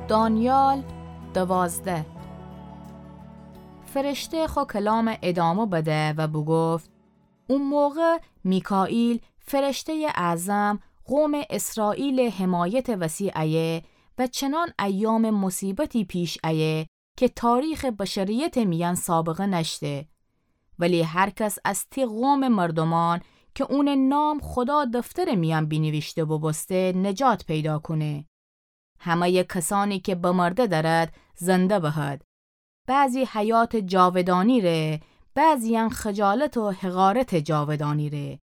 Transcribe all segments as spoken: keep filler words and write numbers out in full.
دانیال دوازده. فرشته خو کلامه ادامه بده و بوگفت: او موقع میکائیل، فرشته‌یٚ اعظم، قومٚ اسرائیلٚ حمایتٚ وسی ایه و چنان ایامٚ مصیبتی پیش ایه کی تاریخٚ بشریتٚ میأن سابقه نأشته. ولی هر کس از تی قومٚ مردومأن کی اونٚ نام خودا دفترٚ میأن بینیویشته بوبوسته، نجات پیدا کونه. همه‌یٚ کسأنی کی بمرده دأرد، زنده بهد. بعضی حیاتٚ جاودانی ره، بعضی‌یأن خجالت و حقارتٚ جاودانی ره.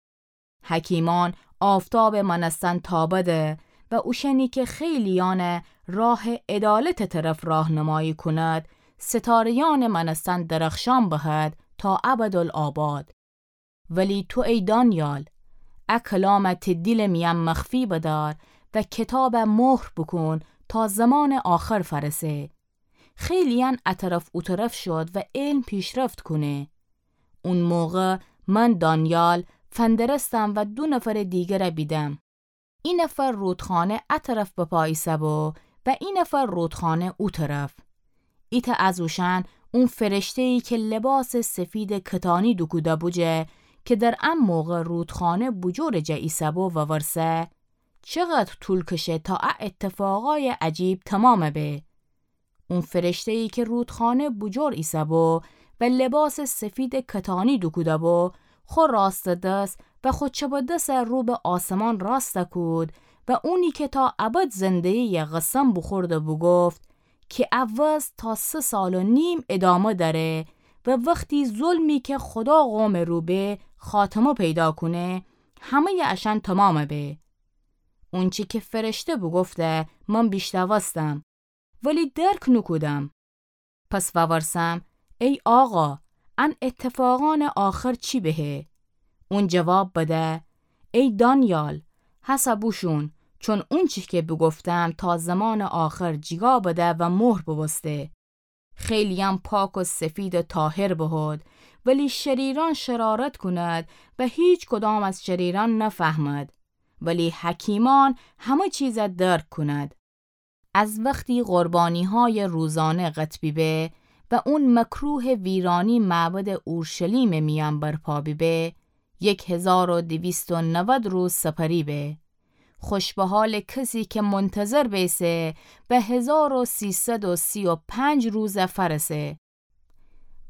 حکیمأن آفتابٚ مأنستن تابده و اوشأنی کی خیلی‌یأنه راهٚ عدالتٚ طرف راهنمایی کند، ستاره‌یأنٚ مأنستن درخشان بهد تا ابدالآباد. ولی تو ای دانیال، ا کلامه تی دیلٚ میأن مخفی بدار و کتابه مهر بوکون تا زمانٚ آخر فأرسه. خیلی‌یأن ا طرف او طرف شد و علم پیشرفت کونه. اون موقع من دانیال فندرستم و دو نفرٚ دیگره بیدم. ای نفر رودخانه ا طرف بپا ایسه‌بو و ای نفر رودخانه او طرف. ایتأ از اوشأن اون فرشته‌یی کی لباسٚ سفیدٚ کتانی دوکوده‌بو جه، کی در ا موقع رودخانه بوجورٚ جه ایسه‌بو وورسه: چقدر طول کشه تا ا اتفاقای عجیب تومام به؟ اون فرشته‌یی کی رودخانه بوجور ایسه‌بو و لباسٚ سفیدٚ کتانی دوکوده‌بو، خو راستٚ دس و خو چپٚ دس رو به آسمان راست کود و اونی کی تا ابد زنده‌یی‌یه قسم بوخورده بوگفت کی ا وضع تا سه سال و نیم ادامه دأره و وختی ظلمی کی خودا قومٚ رو به خاتمه پیدا کونه، همه‌یٚ اشأن تومام به. اونچی کی فرشته بوگفته من بیشنوستم، ولی درک نوکودم. پس وورسم: ای آقا، ان اتفاقأنٚ آخر چی بهه؟ اون جواب بده: ای دانیال، هسه بوشون، چون اونچی کی بوگفتم تا زمانٚ آخر جیگا بده و مهر بوبوسته. خیلی‌یأن پاک و سفید و طاهر بهد، ولی شریرأن شرارت کند و هیچ کدام از شریرأن نفهمد، ولی حکیمأن همه چیزه درک کند. از وختی قربانی‌های روزانه قطع بیبه و اون مکروه ویرانی معبدٚ اورشلیمٚ میأن برپا بیبه، یک هزار و دویست و نود روز سپری به. خوش به حالٚ کسی کی منتظر بیسه و هزار و سیصد و سی و پنج روزه فأرسه.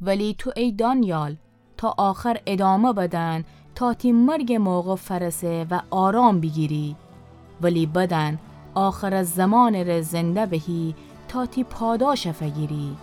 ولی تو ای دانیال، تا آخر ادامه بدن تا تی مرگٚ موقع فأرسه و آرام بیگیری. ولی بدن آخرٚ زمانٚ ره زنده بهی تا تی پاداشه فگیری.